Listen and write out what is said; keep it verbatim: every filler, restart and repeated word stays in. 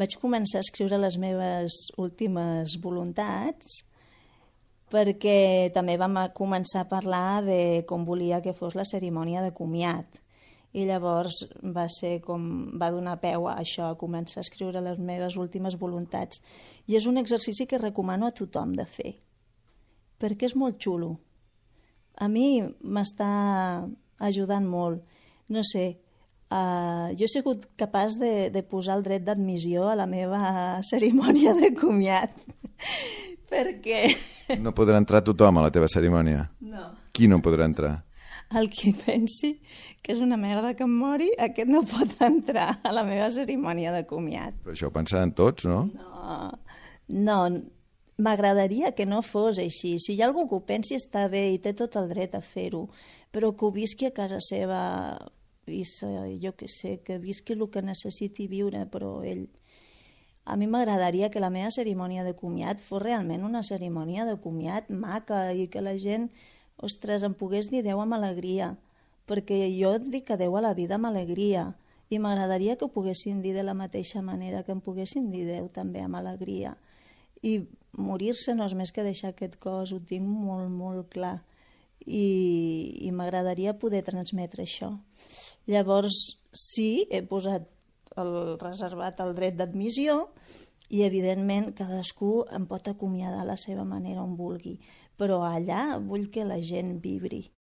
Vaig començar a escriure les meves últimes voluntats perquè també vam començar a parlar de com volia que fos la cerimònia de comiat. I llavors va ser com va donar peu a això, a començar a escriure les meves últimes voluntats. I és un exercici que recomano a tothom de fer, perquè és molt xulo. A mi m'està ajudant molt. No sé, uh, jo he sigut capaç de, de posar el dret d'admissió a la meva cerimònia de comiat, perquè... No podrà entrar tothom a la teva cerimònia? No. Qui no podrà entrar? El qui pensi que és una merda que em mori, aquest no pot entrar a la meva cerimònia de comiat. Però això ho pensaran tots, no? No, no, m'agradaria que no fos així. Si hi ha algú que ho pensi està bé i té tot el dret a fer-ho, però que ho visqui a casa seva, i jo què sé, que visqui el que necessiti viure, però ell... A mi m'agradaria que la meva cerimònia de comiat fos realment una cerimònia de comiat maca i que la gent, ostres, em pogués dir adeu amb alegria, perquè jo dic adeu a la vida amb alegria i m'agradaria que ho poguessin dir de la mateixa manera que em poguessin dir adeu també amb alegria. I morir-se no és més que deixar aquest cos, ho tinc molt, molt clar. I, i m'agradaria poder transmetre això. Llavors, sí, he posat el reservat el dret d'admissió i, evidentment, cadascú em pot acomiadar a la seva manera on vulgui, però allà vull que la gent vibri.